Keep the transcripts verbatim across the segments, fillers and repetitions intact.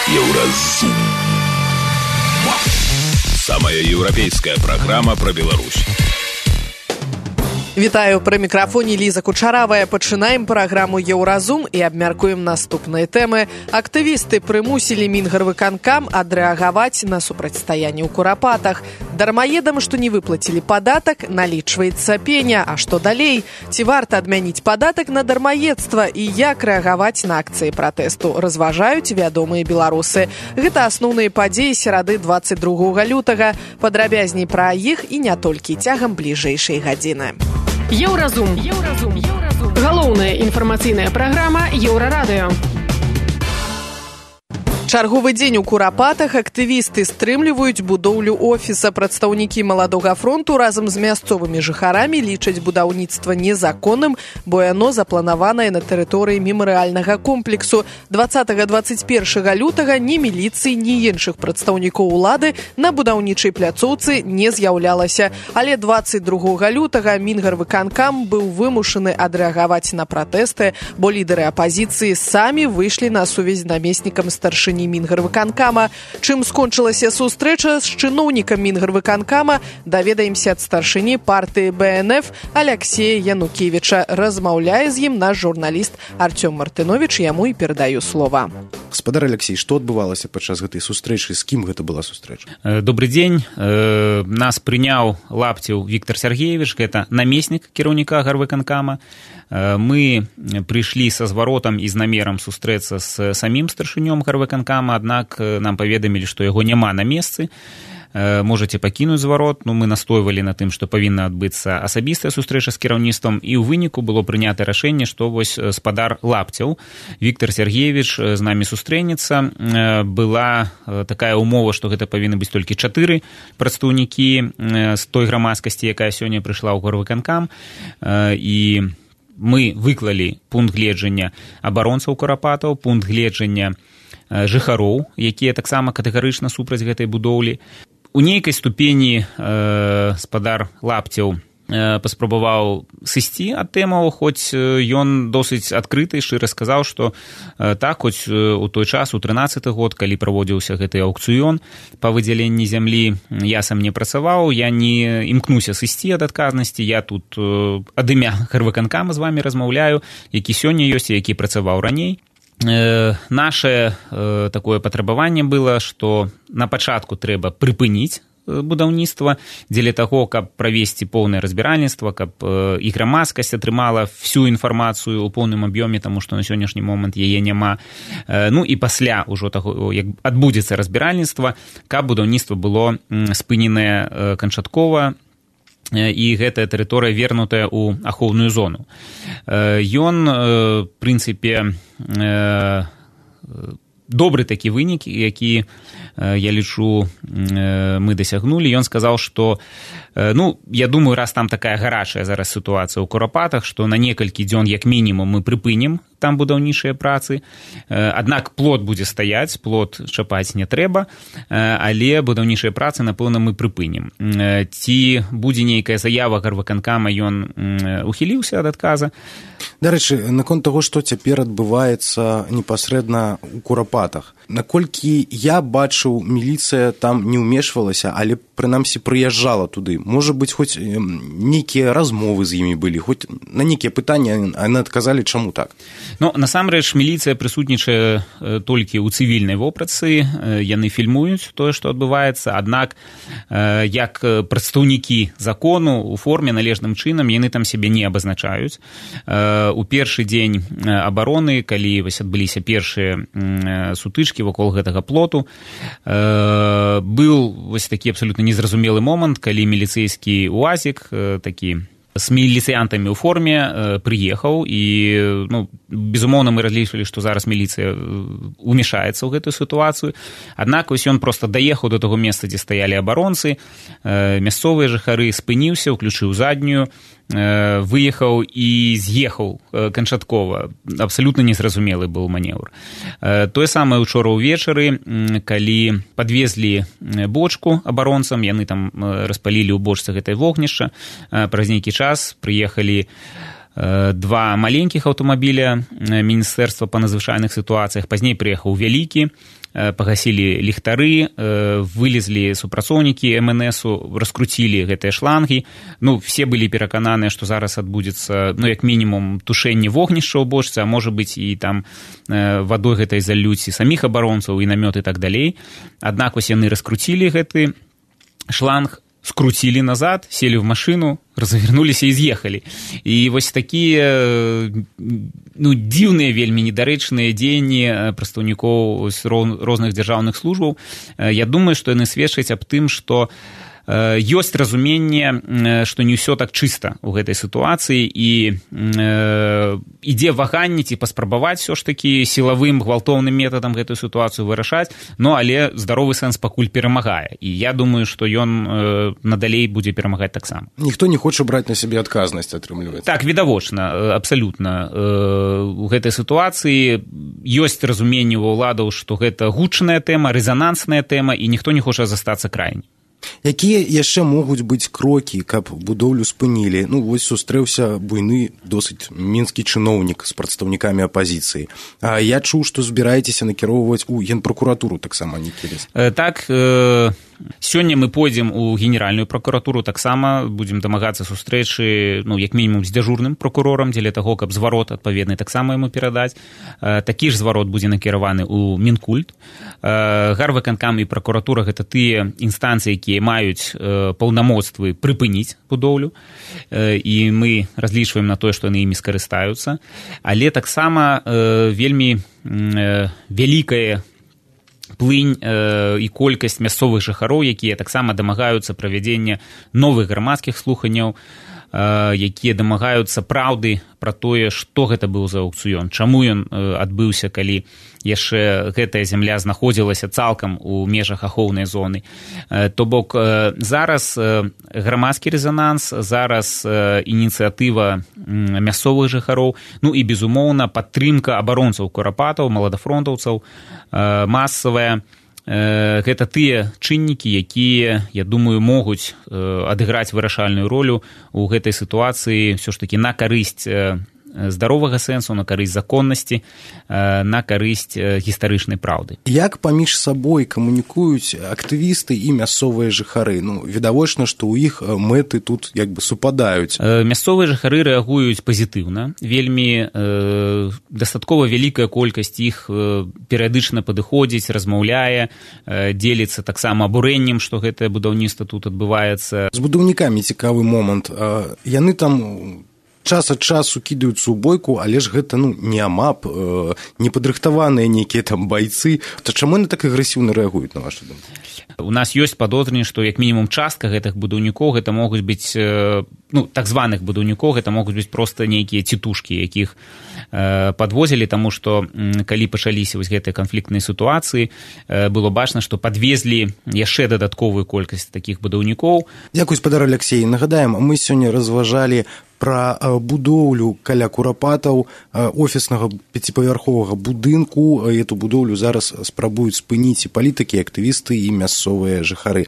Еўразум. Самая еўрапейская праграма пра Беларусь. Вітаю, пры мікрафоне Ліза Кучаравая. Пачынаем праграму «Еўразум» і абмяркуем наступныя тэмы. Актывісты прымусілі Мінгарвыканкам адрэагаваць на супрацьстаянне ў Курапатах. Дармаедам, што не выплацілі падатак, налічваецца пеня. А што далей? Ці варта адмяніць падатак на дармаедства і як рэагаваць на акцыі пратэсту? Разважаюць вядомыя беларусы. Гэта асноўныя падзеі серады дваццаць другога лютага. Падрабязней пра іх і не толькі цягам бліжэйшай гадзіны. Еўразум. Еўразум. Еўразум. Галоўная інфармацыйная праграма Еўрарадыё. Чарговы дзень у Курапатах актывісты стрымліваюць будоўлю офіса. Прадстаўнікі Маладога фронту разам з мясцовымі жыхарамі лічаць будаўніцтва незаконным, бо яно запланаванае на тэрыторыі мемарыяльнага комплексу. дваццатага дваццаць першага лютага ні міліцыі, ні іншых прадстаўнікоў улады на будаўнічай пляцоўцы не з'яўлялася. Але дваццаць другога лютага Мінгарвыканкам быў вымушаны адрэагаваць на пратэсты, бо лідары апазіцыі самі выйшлі на сувязь з намеснікам старшыні Мінгарвыканкама. Чым скончылася сустрэча з чыноўнікам Мінгарвыканкама, даведаемся ад старшыні партыі бэ эн эф Аляксея Янукевіча. Размаўляе з ім наш журналіст Артём Мартыновіч, яму і перадаю слова. Гаспадар Алексей, што адбывалася падчас гэтай сустрэчы? З кім гэта была сустрэча? Добры дзень. Нас прыняў Лапцеў Віктор Сергеевич, гэта намеснік кіраўніка Гарвыканкама. Мы прыйшлі са зваротам і з намерам сустрэцца з самім старшынём Гарвыканкама, аднак нам паведамілі, што яго няма на месцы. Можаце пакінуць зварот. Ну, мы настойвалі на тым, што павінна адбыцца асабістая сустрэча з кіраўніцтвам, і ў выніку было прынята рашэнне, што вось спадар Лапцеў Віктор Сергеевич з намі сустрэнецца. Была такая ўмова, што гэта павінны быць толькі чатыры прадстаўнікі з той грамадскасці, якая сёння прыйшла ў Гарвыканкам, і мы выклалі пункт гледжання абаронцаў Курапатаў, пункт гледжання жыхароў, якія таксама катэгарычна супраць гэтай будоўлі. У нейкай ступені э, спадар Лапцеў э, паспрабаваў сысці ад тэмаў, хоць ён досыць адкрыты і шчыра сказаў, што э, так, хоць у той час, у трынаццаты год, калі праводзіўся гэты аўкцыён па выдзяленні зямлі, я сам не працаваў, я не імкнуся сысці ад адказнасці, я тут э, ад імя Гарвыканкама з вамі размаўляю, які сёння ёсць і які працаваў раней. Э, наше э, такое патрабаванне было, што на пачатку трэба прыпыніць будаўніцтва дзеля таго, каб правесці поўнае разбіральніцтва, каб э, і грамадскасць атрымала всю інфармацыю ў поўным аб'ёме, таму што на сённяшні момант яе няма. Э, ну і пасля ўжо таго, як адбудзецца разбіральніцтва, каб будаўніцтва было м, спыненае э, канчаткова, і гэтая тэрыторыя вернутая ў ахоўную зону. Ён, в прынцыпе, добры такі вынік, які, я лічу, мы дасягнулі. Ён сказаў, што, ну, я думаю, раз там такая гарачая зараз сітуацыя ў Курапатах, што на некалькі дзён, як мінімум, мы прыпынім там будаўнічыя працы. Аднак плот будзе стаяць, плот чапаць не трэба, але будаўнічыя працы, напэўна, мы прыпынім. Ці будзе нейкая заява Гарвыканкама, ён ухіліўся ад адказа. Дарэчы, наконт таго, што цяпер адбываецца непасрэдна ў Курапатах. Наколькі я бачыў, міліцыя там не ўмешвалася, але прынамсі прыязджала туды. Можа быць, хоць нейкія размовы з імі былі, хоць на нейкія пытанні яны адказалі, чаму так? Ну, насамрэч, міліцыя прысутнічае толькі ў цывільнай вопратцы, яны фільмуюць тое, што адбываецца, аднак як прадстаўнікі закону у форме належным чынам яны там сябе не абазначаюць. У першы дзень абароны, калі вось адбыліся першыя сутычкі вакол гэтага плоту, быў вось такі абсалютна незразумелы момант, калі міліцэйскі уазік, такі з міліцыянтамі ў форме прыехаў, і, ну, безумоўна, мы разлічвалі, што зараз міліцыя умешаецца ў гэтую сітуацыю. Аднак вось ён проста даехаў да таго месца, дзе стаялі абаронцы, мясцовыя жыхары, спыніўся, уключыў заднюю, выехаў і з'ехаў канчаткова. Абсалютна незразумелы быў манеўр. Тое самае учора ўвечары, калі падвезлі бочку абаронцам, яны там распалілі ў бочцы гэтай вогнішча, праз нейкі час прыехалі два маленькіх аўтамабіля Міністэрства па надзвычайных сітуацыях, пазней прыехаў вялікі, пагасілі ліхтары, вылезлі супрацоўнікі эм эн эсу, раскруцілі гэтыя шлангі. Ну, все былі перакананыя, што зараз адбудзецца, ну, як мінімум, тушэнне вогнішча ў бочцы, а можа быць і там вадой гэтай залюць і саміх абаронцаў, і намёт і так далей. Аднак вось яны раскруцілі гэты шланг, скруцілі назад, селі ў машыну, развернуліся і з'ехалі. І вось такія, ну, дзіўныя, вельмі недарэчныя дзеянні прадстаўнікоў розных дзяржаўных службаў. Я думаю, што яны сведчаць аб тым, што ёсць разуменне, што не ўсё так чыста ў гэтай сітуацыі, і ідзе ваганне ці паспрабаваць все ж такі сілавым, гвалтоўным метадам гэтую сітуацыю вырашаць, но але здаровы сэнс пакуль перамагае. І я думаю, што ён надалей будзе перамагаць таксама. Ніхто не хоча браць на сябе адказнасць, атрымліваецца. Так, відавочна, абсалютна. У гэтай сітуацыі ёсць разуменне ў ўладаў, што гэта гучная тэма, рэзанансная тэма, і ніхто не хоча застацца крайнім. Якія яшчэ могуць быць крокі, каб будоўлю спынілі? Ну, вось сустрэўся буйны, досыць мінскі чыноўнік з прадстаўнікамі апазіцыі. А я чуў, што збіраецеся накіроўваць у генпракуратуру таксама, не келес. Так, э, сёння мы пойдзем у генеральную пракуратуру, таксама будзем дамагацца сустрэчы, ну, як мінімум з дзяжурным пракурорам, дзеля таго, каб зварот адпаведны таксама яму перадаць. Э, такі ж зварот будзе накіраваны ў Мінкульт. Э, Гарвыканкам і пракуратура — гэта тыя інстанцыі, якія маюць э, паўнамоцтвы прыпыніць будоўлю, э, і мы разлічваем на тое, што яны імі скарыстаюцца. Але таксама э, вельмі э, вялікая плынь э, і колькасць мясцовых жыхароў, якія таксама дамагаюцца правядзення новых грамадскіх слуханняў, э, якія дамагаюцца праўды пра тое, што гэта быў за аўкцыён, чаму ён э, адбыўся, калі яшчэ гэтая зямля знаходзілася цалкам у межах ахоўнай зоны. То бок зараз грамадскі рэзананс, зараз ініцыятыва мясцовых жыхароў, ну і, безумоўна, падтрымка абаронцаў курапатаў, маладафронтаўцаў, масавая. Гэта тыя чыннікі, якія, я думаю, могуць адыграць вырашальную ролю ў гэтай сітуацыі ўсё ж такі на карысць здаровага сэнсу, на карысць законнасці, на карысць гістарычнай праўды. Як паміж сабой камунікуюць актывісты і мясцовыя жыхары? Ну, відавочна, што ў іх мэты тут як бы супадаюць. Мясцовыя жыхары рэагуюць пазітыўна. Вельмі э, дастаткова вялікая колькасць іх э, перыядычна падыходзіць, размаўляе, э, дзеліцца таксама абурэннем, што гэтае будаўніцтва тут адбываецца. З будаўнікамі цікавы момант. Яны там час ад часу кідаюцца ў бойку, але ж гэта, ну, не амап, э, непадрыхтаваныя нейкія там байцы. То чаму яны так агрэсіўна рэагуюць, на вашу думку? У нас ёсць падозренне, што як мінімум частка гэтых будаўнікоў гэта могуць быць, э, ну, так званых будаўнікоў, гэта могуць быць проста нейкія цітушкі, якіх э, падвозілі, таму што м, калі пачаліся вось гэтыя канфліктныя сітуацыі, э, было бачна, што падвезлі яшчэ дадатковую колькасць такіх будаўнікоў. Дзякуй, спадар Аляксей. Нагадаем, мы сёння разважалі пра будоўлю каля курапатаў офіснага пяціпавярховага будынку. Эту будоўлю зараз спрабуюць спыніць і палітыкі, актывісты і мясцовыя жыхары.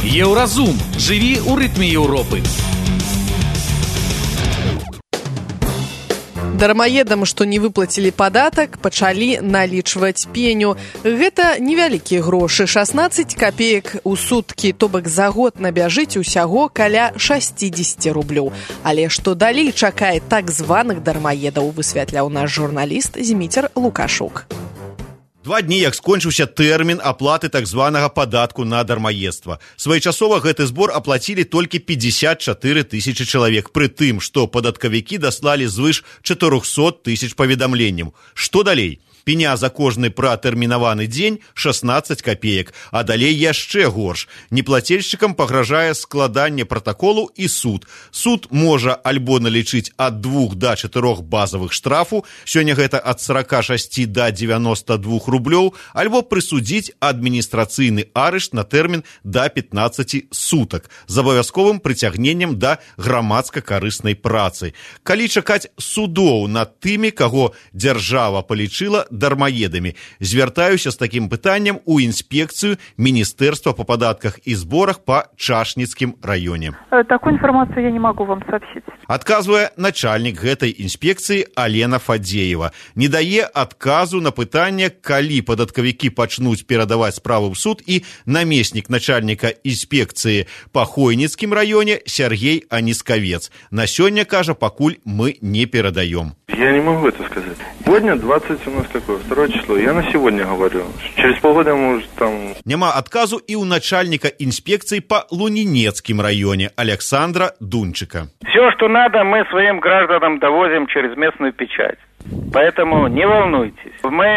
Еўразум. Жыві ў рытме Еўропы. Дармаедам, што не выплацілі падатак, пачалі налічваць пеню. Гэта невялікія грошы, шаснаццаць капеек у суткі, то бок за год набяжыць усяго каля шэсцьдзесят рублёў. Але што далей чакае так званых дармаедаў, высвятляў наш журналіст Зміцер Лукашук. Два дні, як скончыўся тэрмін аплаты так званага падатку на дармаедства. Своечасова гэты збор аплацілі толькі пятьдесят четыре тысячи чалавек, пры тым, што падаткавікі даслалі звыш чатырохсот тысяч паведамленняў. Што далей? Пеня за кожны пратэрмінаваны дзень шаснаццаць капеек, а далей яшчэ горш. Неплацельшчыкам пагражае складанне пратаколу і суд. Суд можа альбо налічыць ад двух да чатырох базавых штрафу, сёння гэта ад сорока шасці да дзевяноста двух рублёў, альбо прысудзіць адміністрацыйны арышт на тэрмін да пятнаццаці сутак з абавязковым прыцягненнем да грамадска-карыснай працы. Калі чакаць судоў над тымі, каго дзяржава палічыла дармаедамі. Звяртаюся з такім пытаннем у інспекцыю Міністэрства па падатках і зборах па Чашніцкім раёне. Такую информацию я не могу вам сообщить. Адказвае начальнік гэтай інспекцыі Алена Фадзеева. Не дае адказу на пытанне, калі падаткавікі пачнуць перадаваць справу ў суд, і намеснік начальніка інспекцыі па Хойніцкім раёне Сергей Анискавец. На сёння, кажа, пакуль мы не перадаем. Я не могу это сказать. Сегодня двадцать у нас какое? Второе число. Я на сегодня говорю. Через полгода, может, там... Няма адказу і у начальника инспекции по Лунинецким районе Александра Дунчика. Все, что надо, мы своим гражданам довозим через местную печать. Поэтому не волнуйтесь. Мы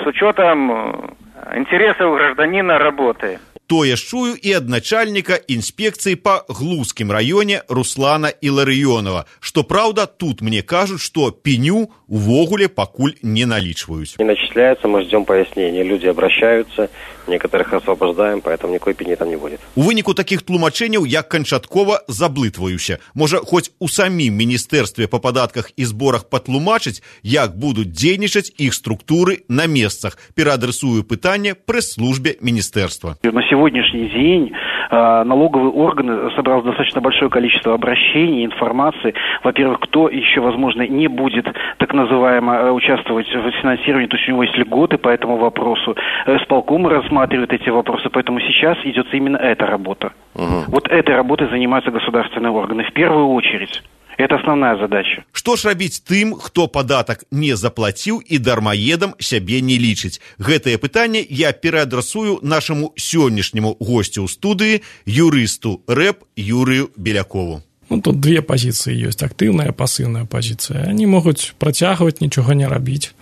с учетом интересов гражданина работаем. Тое ж чую і ад начальніка інспекцыі па Глузскім раёне Руслана Іларыёнова. Што праўда, тут мне кажуць, што пеню увогуле пакуль не налічваюць. Не начисляется, мы ждем пояснения. Люди обращаются, некоторых освобождаем, поэтому никакой пени там не будет. У выніку такіх тлумачэнняў я канчаткова заблытваюся. Можа, хоць у самім Міністэрстве па падатках і зборах патлумачыць, як будуць дзейнічаць іх структуры на месцах. Пераадресую пытанне прэс-службе Міністэрства. На сегодняшний день э, налоговый орган собрал достаточно большое количество обращений, информации. Во-первых, кто еще, возможно, не будет так называемо участвовать в финансировании, то есть у него есть льготы по этому вопросу. Исполком рассматривает эти вопросы, поэтому сейчас идет именно эта работа. Угу. Вот этой работой занимаются государственные органы в первую очередь. Это основная задача. Што ж рабіць тым, хто падатак не заплаціў і дармаедам сябе не лічыць? Гэтае пытанне я пераадрасую нашаму сённяшняму госцю ў студыі, юрысту рэп Юрію Белякову. Ну, тут две позиции есть, активная и пассивная позиция. Они могут протягивать, ничего не робить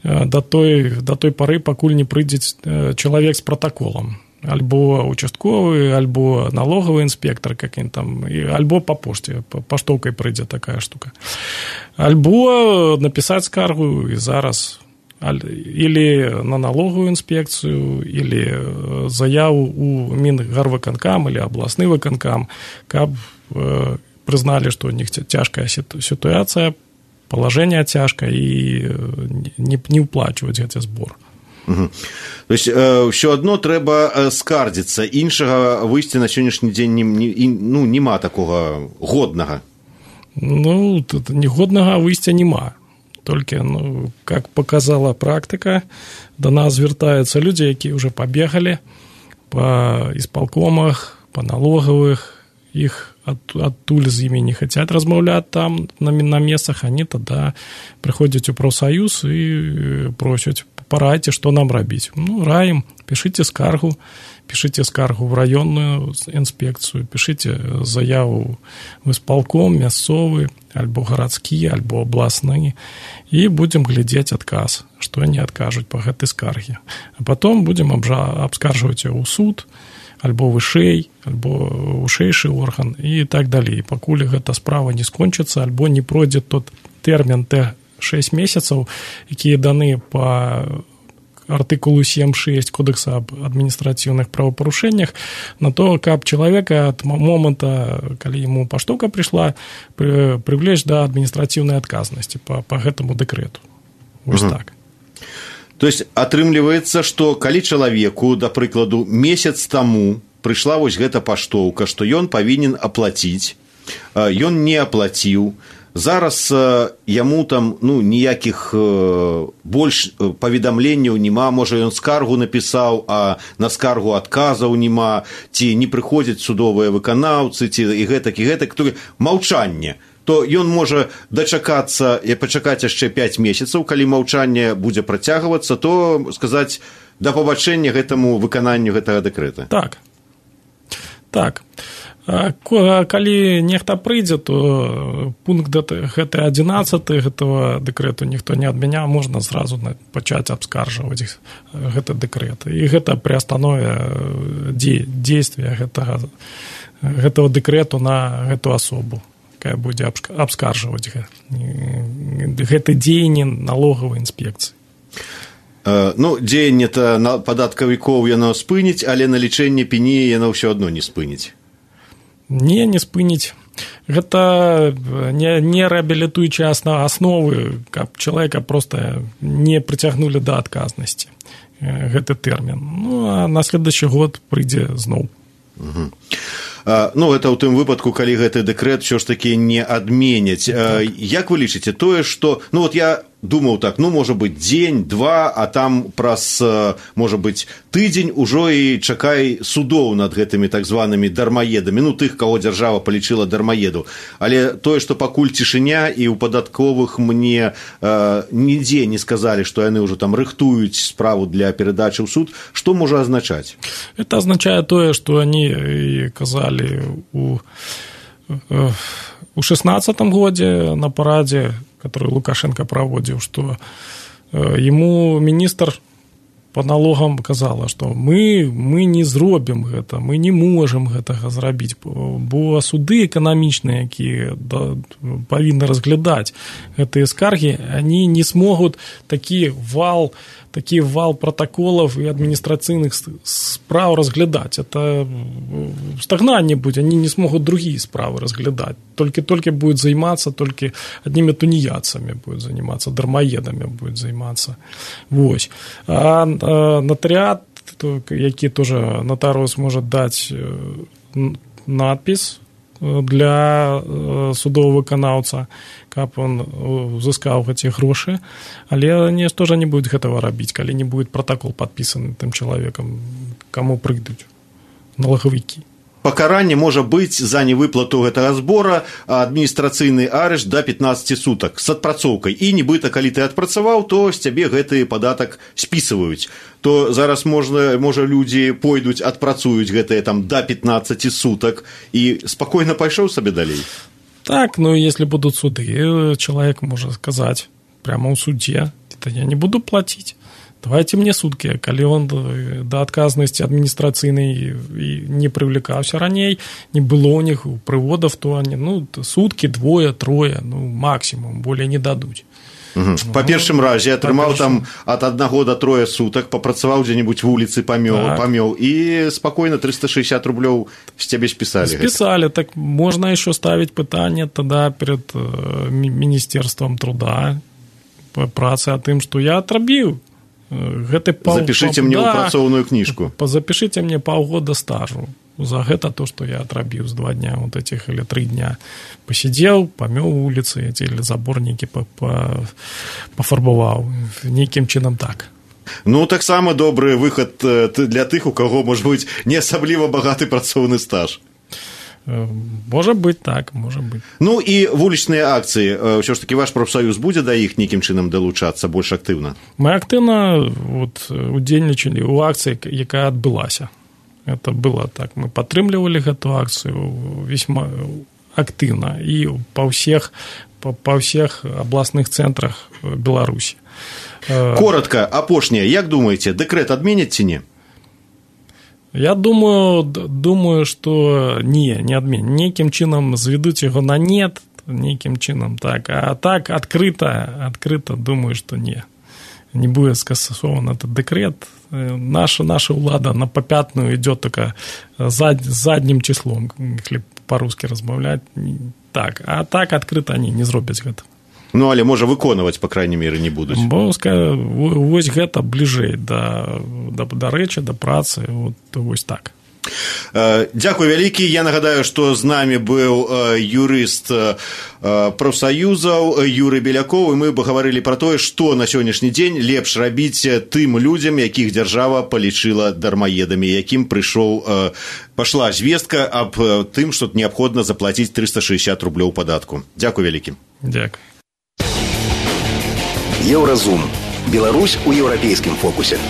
до той, до той поры, покуль не придет человек с протоколом. Альбо участковый, альбо налоговый инспектор каким там, альбо по почте, поштовкой прийде такая штука. Альбо написать скаргу и зараз, или на налоговую инспекцию, или заяву у Мінгарвыканкам или областный выканкам, каб э, признали, что у них тяжкая ситуация, положение тяжкое, и не, не уплачивать этот сбор. Угу. То есть э, все одно трэба э, скардзіцца, іншага выйсця на сённяшні дзень не, не, ну, нема такога годнага. Ну, тут негоднага выйсця нема. Толькі, ну, как показала практика, до нас звяртаюцца людзі, якія уже побегали по исполкомах, по налоговых, их от, оттуль з імі не хотят размаўляць там на, на месцах, они тогда приходят у профсоюз и просят: порадьте, что нам робить. Ну, раим, пишите скаргу, пишите скаргу в районную инспекцию, пишите заяву в исполком, мясцовый, альбо городские, альбо областные, и будем глядеть отказ, что они откажут по этой скарге. А потом будем обжа- обскарживать его у суд, альбо вышэй, альбо вышэйшы орган и так далее. И покуль эта справа не скончится, альбо не пройдет тот термин Т шесть месяцев, якія даны по артыкулу семь шесть Кодекса об административных правопорушениях, на то, как человека от момента, когда ему поштовка пришла, привлечь до административной отказности по, по этому декрету. Вот угу. Так. То есть атрымліваецца, што калі чалавеку, да прыкладу, месяц таму прыйшла вось гэта паштоўка, што ён павінен аплаціць, ён не аплаціў, зараз яму там, ну, ніякіх больш паведамленняў няма, можа ён скаргу напісаў, а на скаргу адказаў няма, ці не прыходзяць судовыя выканаўцы, ці і гэтак, і гэтак, то маўчанне, то ён можа дачакацца і пачакаць яшчэ пяць месяцаў, калі маўчанне будзе працягвацца, то сказаць да пабачэння гэтаму выкананню гэтага дэкрэта. Так, так. Калі нехта прыйдзе, то пункт гэты адзінаццаты гэтага дэкрэту ніхто не адмяняў, можна зразу пачаць абскаржваць гэты дэкрэт. І гэта прыастанове дзействия гэтага, гэтага дэкрэту на гэту асобу, якая будзе абскаржваць гэты дзеянне налоговай інспекцыі. Ну, дзеянне-то падаткавікоў яно спыніць, але налічэнне пені яно ўсё адно не спыніць. Не, не спыніць. Гэта не, не рэабілітуючыя асновы, каб чалавека проста не прыцягнулі да адказнасці. Гэты тэрмін. Ну, а на следующий год прыйдзе зноў. Угу. А, ну, гэта ў тым выпадку, калі гэты дэкрэт ўсё ж такі не адменяць. Так. Як вы лічыце тое, што... Ну, вот я думаў так, ну, можа быць, дзень, два, а там праз, можа быць, тыдзень ужо і чакай судоў над гэтымі так званымі дармаедамі, ну, тых, каго дзяржава палічыла дармаеду. Але тое, што пакуль цішыня, і ў падатковых мне э, нідзе не сказалі, што яны ўжо там рыхтуюць справу для перадачы ў суд, што можа азначаць? Это означает тое, што они казалі у, у шестнадцатом годзе на парадзе, который Лукашенко проводил, что ему министр по налогам казала, што мы, мы не зробім гэта, мы не можам гэтага зрабіць, бо суды эканамічныя, якія да, павінны разглядаць гэтыя скаргі, они не смогут такі вал, такі вал протоколов и административных справ разглядать. Это стагнание будет, они не смогут другие справы разглядать. Только-только будет заниматься, только одними тунеядцами будет заниматься, дармоедами будет заниматься. Вот. А, а нотариат, який тоже нотариус может дать надпись для судового выканаўца, каб он узыскаў эти грошы, але они тоже не будут этого рабіць, калі не будет протокол подписан тым человеком, кому прыйдуць налоговики. Пакаранне можа быць за невыплату гэтага збора, адміністрацыйны арышт да пятнадцати сутак з адпрацоўкай. І нібыта, калі ты адпрацаваў, то з цябе гэты падатак спісываюць. То зараз можна, можа людзі пойдуць, адпрацуюць гэтыя там да пятнадцати сутак і спакойна пайшоў сабе далей. Так, ну если будут суды, человек может сказать прямо ў судзе, то я не буду платить. Давайте мне суткі, калі он да адказнасці адміністрацыйнай не прывлікаўся раней, не было у них прыводов, то они, ну, суткі, двое, трое, ну, максимум, более не дадуць. Угу. Па першым разе атрымаў там ад аднаго да трое сутак, папрацаваў дзе-небудзь вуліцы, памёў, так. памёў, і спакойна триста шестьдесят рублёў з цябе спісалі. Спісалі, так можна еще ставіць пытанне тада перед Міністэрствам труда, працы, о тым, што я атрабіў. Гэты паў... Запішыце мне да, ў працоўную кніжку. Запішыце мне паўгода стажу за гэта то, што я атрабіў з два дня вот этих или три дня. Пасидзеў, памёў вуліцы, эти или заборнікі пафарбаваў. Нейкім чынам так. Ну, таксама добры выхад для тых, у каго, можа быць, не асабліва багаты працоўны стаж. Можа быць так, можа быць. Ну і вулічныя акцыі, ўсё ж такі ваш прафсаюз будзе да іх нейкім чынам далучацца больш актыўна? Мы актыўна вот, удзельнічалі ў акцыі, якая адбылася. Это было так, мы падтрымлівалі гэту акцыю весьма актыўна і па ўсіх, па, па ўсіх абласных цэнтрах Беларусі. Коротка, апошняе, як думаеце, дэкрэт адменяць ці не? Я думаю, думаю, что не, не адмен. Нейкім чынам зведуць яго на нет, нейкім чынам так. А так адкрыта, адкрыта думаю, что не. Не будет скасован этот декрет. Наша, наша ўлада на попятную идет только зад, задним числом, если по-русски размаўляць. Так, а так адкрыта они не зробяць гэта. Ну, але, можа, выконваць, па крайней меры, не будуць. Бо, вось гэта бліжэй да, да, да рэчы, да працы, вот, вось так. Дзякуй вялікі. Я нагадаю, што з намі быў юрыст прафсаюзаў Юрый Белякоў, і мы пагаварылі пра тое, што на сённяшні дзень лепш рабіць тым людзям, якіх дзяржава палічыла дармаедамі, якім прыйшоў, пашла звестка аб тым, што неабходна заплаціць триста шестьдесят рублёў падатку. Дзякуй вялікі. Дзякуй. Еўразум. Беларусь у еўрапейскім фокусе.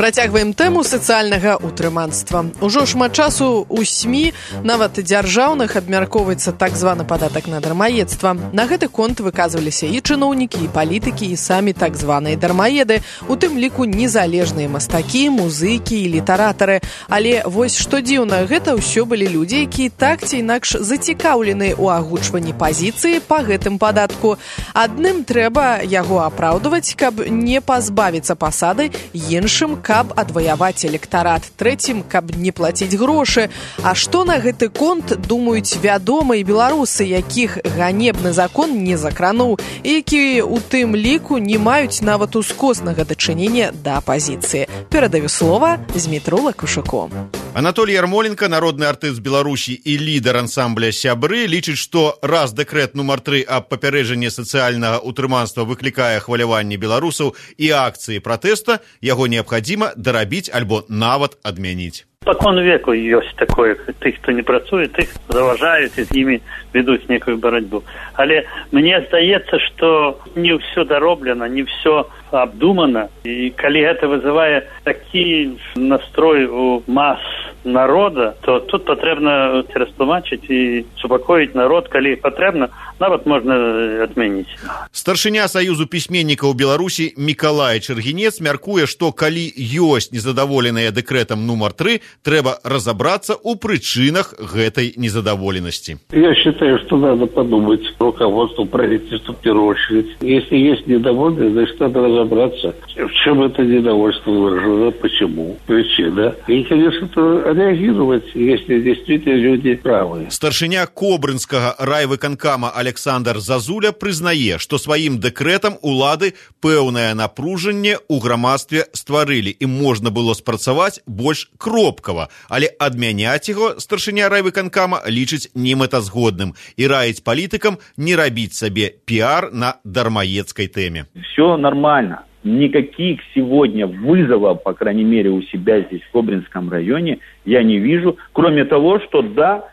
Працягваем тэму сацыяльнага ўтрыманства. Ужо шмат часу ў СМІ, нават дзяржаўных, абмяркоўваецца так званы падатак на дармаедства. На гэты конт выказваліся і чыноўнікі, і палітыкі, і самі так званыя дармаеды, у тым ліку незалежныя мастакі, музыкі і літаратары. Але вось што дзіўна, гэта ўсё былі людзі, якія так ці інакш зацікаўлены ў агучванні пазіцыі па гэтым падатку. Адным трэба яго апраўдваць, каб не пазбавіцца пасады, іншым каб адваяваць электарат, трэцім, каб не плаціць грошы. А што на гэты конт думаюць вядомыя беларусы, якіх ганебны закон не закрануў, і якія у тым ліку не маюць нават ускоснага дачынення да апазіцыі. Перадаю слова Змітру Лакушаку. Анатолій Ярмоленко, народны артыст Беларусі і лідар ансамбля «Сябры», лічыць, што раз дэкрэт нумар тры аб папярэджанні сацыяльнага утрыманства выклікае хваляванне беларусаў і акцыі пратэста, яго неабходимо дарабіць альбо нават адмяніць. Спокон веку ёсць такое, тых, хто не працуе, тых заважаюць і з імі ведуць некую барацьбу. Але мне здаецца, што не ўсё дароблена, не ўсё абдумана, і калі гэта вызывае такі настрой у мас народа, то тут патрэбна растлумачыць і супакоіць народ, калі патрэбна, нават можна адмяніць. Старшыня Саюзу пісьменнікаў Беларусі Мікалай Чэргінец мяркуе, што калі ёсць незадаволеныя дэкрэтам нумар тры, трэба разобраться у причинах этой незадоволенности. Я считаю, что надо подумать руководству правительства в первую очередь. Если есть недовольны, значит, надо разобраться, в чем это недовольство выражено, почему, причина. И, конечно, реагировать, если действительно люди правы. Старшыня Кобрынскага райвыканкама Александр Зазуля прызнае, што сваім дэкрэтам улады пэўнае напружанне ў грамадстве стварылі, і можна было спрацаваць больш кропкава, але адмяняць яго старшыня райвыканкама лічыць немэтазгодным і раіць палітыкам не рабіць сабе піар на дармаедскай тэме. Все нормально. Никаких сегодня вызовов, по крайней мере, у себя здесь, в Кобринском районе, я не вижу, кроме того, что да,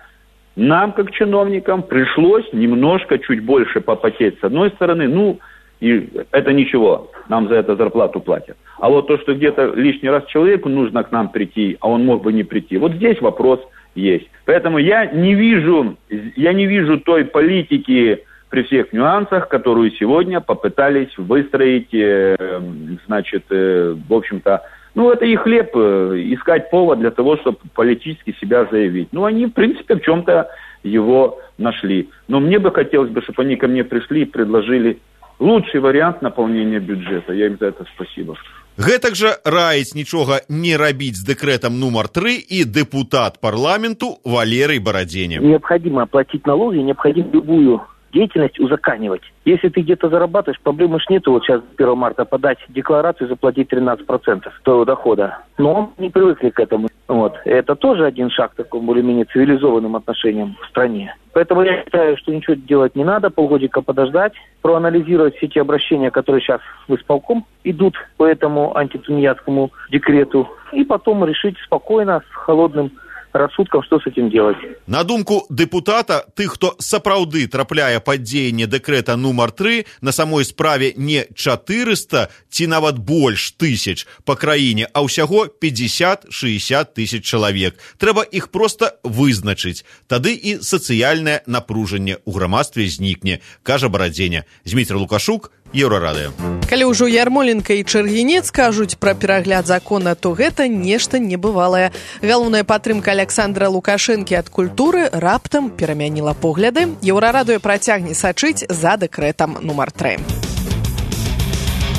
нам, как чиновникам, пришлось немножко чуть больше попотеть с одной стороны, ну, и это ничего, нам за это зарплату платят. А вот то, что где-то лишний раз человеку нужно к нам прийти, а он мог бы не прийти, вот здесь вопрос есть. Поэтому я не вижу, я не вижу той политики, при всех нюансах, которую сегодня попытались выстроить, э, значит, э, в общем-то, ну, это их хлеб, э, искать повод для того, чтобы политически себя заявить. Ну, они, в принципе, в чем-то его нашли. Но мне бы хотелось бы, чтобы они ко мне пришли и предложили лучший вариант наполнения бюджета. Я им за это спасибо. Гэтак жа раіць нічога не рабіць з дэкрэтам нумар тры і дэпутат парламенту Валерий Бороденя. Необходимо оплатить налоги, необходимо любую деятельность узаканивать. Если ты где-то зарабатываешь, проблемы ж нету вот сейчас первого марта подать декларацию и заплатить тринадцать процентов твоего дохода. Но мы не привыкли к этому. Вот. Это тоже один шаг к такому более-менее цивилизованным отношениям в стране. Поэтому я считаю, что ничего делать не надо, полгодика подождать, проанализировать все те обращения, которые сейчас в исполком идут по этому антитунеядскому декрету, и потом решить спокойно, с холодным рассудкам, што з этим делать. На думку дэпутата, тых, хто сапраўды трапляе пад дзеянне дэкрэта нумар тры, на самой справе не чатырыста ці нават больш тысяч па краіне, а ўсяго пятьдесят-шестьдесят тысяч чалавек. Трэба іх проста вызначыць. Тады і сацыяльнае напружанне ў грамадстве знікне, кажа Барадзеня. Зміцер Лукашук, Еўрарадыё. Калі ўжо Ярмоленко і Чэргінец кажуць пра перагляд закона, то гэта нешта небывалае. Галоўная падтрымка Александра Лукашэнкі ад культуры раптам перамяніла погляды. Еўрарадыё працягне сачыць за дэкрэтам нумар тры.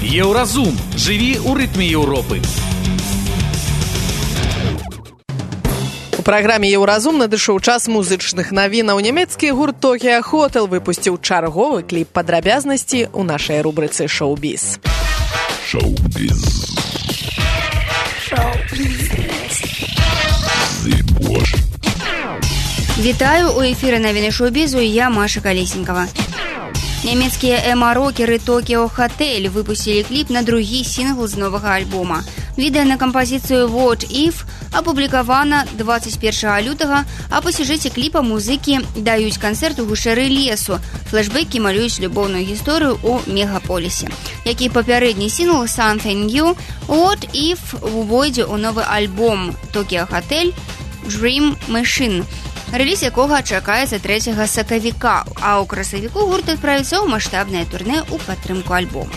Еўразум. Жыві ў рытме Еўропы. У праграме «Еўразум» надышоў час музычных навінаў. Нямецкі гурт «Токіо Хотел» выпусціў чарговы кліп падрабязнасці ў нашай рубрыцы «Шоу-біз». Шоу-біз. Шоу-біз. Вітаю, у эфіры навіны шоу-бізу, я Маша Калесенкова. Нямецкія эма-рокеры «Токіо Хотел» выпусцілі кліп на другі сінгл з новага альбома. Відэа на кампазіцыю «What If» апублікавана двадцать першага лютага, а па сюжэце кліпа музыкі даюць канцэрт у гушчары лесу. Флэшбэкі малююць любоўную гісторыю ў мегаполісе. Як і папярэдні сінгл «Something New», «What If» увойдзе ў новы альбом «Токіо Хотел» «Dream Machine», рэліз якога чакаецца трэцяга сакавіка, а ў красавіку гурт адправіцца ў маштабнае турнэ ў падтрымку альбома.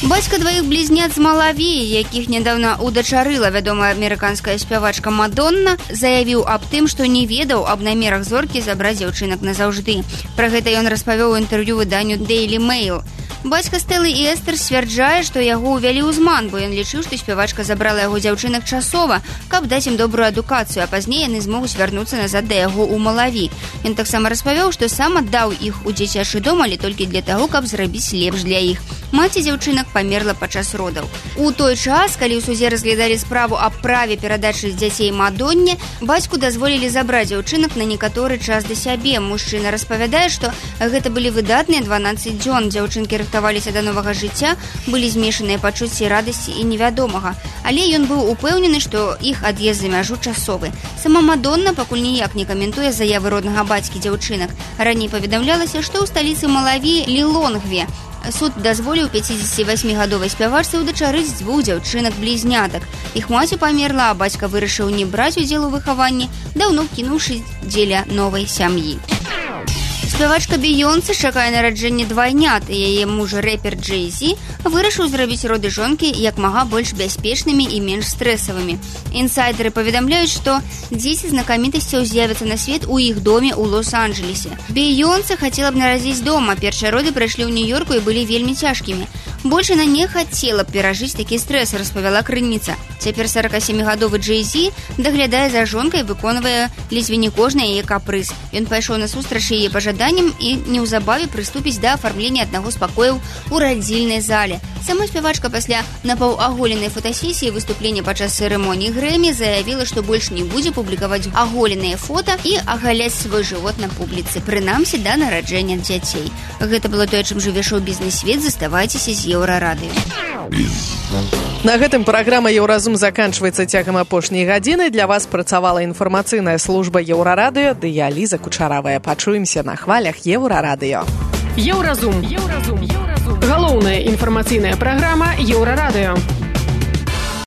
Бацька дваіх блізняц з Малавіі, якіх нядаўна удачарыла вядомая амерыканская спявачка Мадонна, заявіў аб тым, што не ведаў аб намерах зоркі забраць дзяўчынак назаўжды. Пра гэта ён распавёў у інтэрв'ю выданню Daily Mail. Бацька Стэлы і Эстер сцвярджае, што яго ўвялі ў зман, бо ён лічыў, што спявачка забрала яго дзяўчынак часова, каб даць ім добрую адукацыю, а пазней яны змогуць вярнуцца назад да яго ў Малаві. Ён таксама распавёў, што сам аддаў іх у дзіцячы дом, але толькі для таго, каб зрабіць лепш для іх. Маці дзяўчынак памерла падчас родаў. У той час, калі ў судзе разглядалі справу аб праве перадачы дзяцей Мадонне, бацьку дазволілі забраць дзяўчынак на некаторы час да сябе. Мужчына распавядае, што гэта былі выдатныя дванаццаць дзён. Дзяўчынкі рыхтаваліся да новага жыцця, былі змешаныя пачуцці радасці і невядомага. Але ён быў упэўнены, што іх ад'езд за мяжу часовы. Сама Мадонна пакуль ніяк не каментуе заявы роднага бацькі дзяўчынак. Раней паведамлялася, што ў сталіцы Малаві Лілонгве суд дазволіў пяцідзесяцівасьмігадовай спявачцы ўдачарыць дзвюх дзяўчынак-блізнятак. Іх маці памерла, а бацька вырашыў не браць удзел у выхаванні, даўно кінуўшы дзеля новай сям'і. Спявачка Бейонсе чакае нараджэнне двайнят, і яе муж рэпер Джэй-Зі вырашыў зрабіць роды жонкі як мага больш бяспечнымі і менш стрэсавымі. Інсайдеры паведамляюць, што дзеці знакамітасцяў з'явяцца на свет у іх доме ў Лос-Анджелесе. Бейонсе хацела б нарадзіць дома, першыя роды прайшлі ў Нью-Йорку і былі вельмі цяжкімі. Больш яна не хацела б перажыць такі стрэс, распавяла крыніца. Цяпер саракасемігадовы Джэй-Зі даглядае за жонкай, выконвае ледзьве не кожны яе капрыз. Ён пайшоў насустрач яе пажаданням і неўзабаве прыступіць да афармлення аднаго з пакояў у радзільнай зале. Сама спявачка пасля напаўаголенай фотасесіі выступлення падчас цырымоніі Грэмі заявіла, што больш не будзе публікаваць аголеныя фота і агаляць свой жывот на публіцы, прынамсі да нараджэння дзяцей. Гэта было тое, чым жыве шоу-бізнес-свет. Заставайцеся з Еўрарадыё. На гэтым праграма «Еўразум» заканчваецца. Цягам апошняй гадзіны для вас працавала інфармацыйная служба Еўрарадыё ды я, Ліза Кучаравая. Пачуемся на хвалях Еўрарадыё. Еўразум. Еўразум. Галоўная інфармацыйная праграма Еўрарадыё.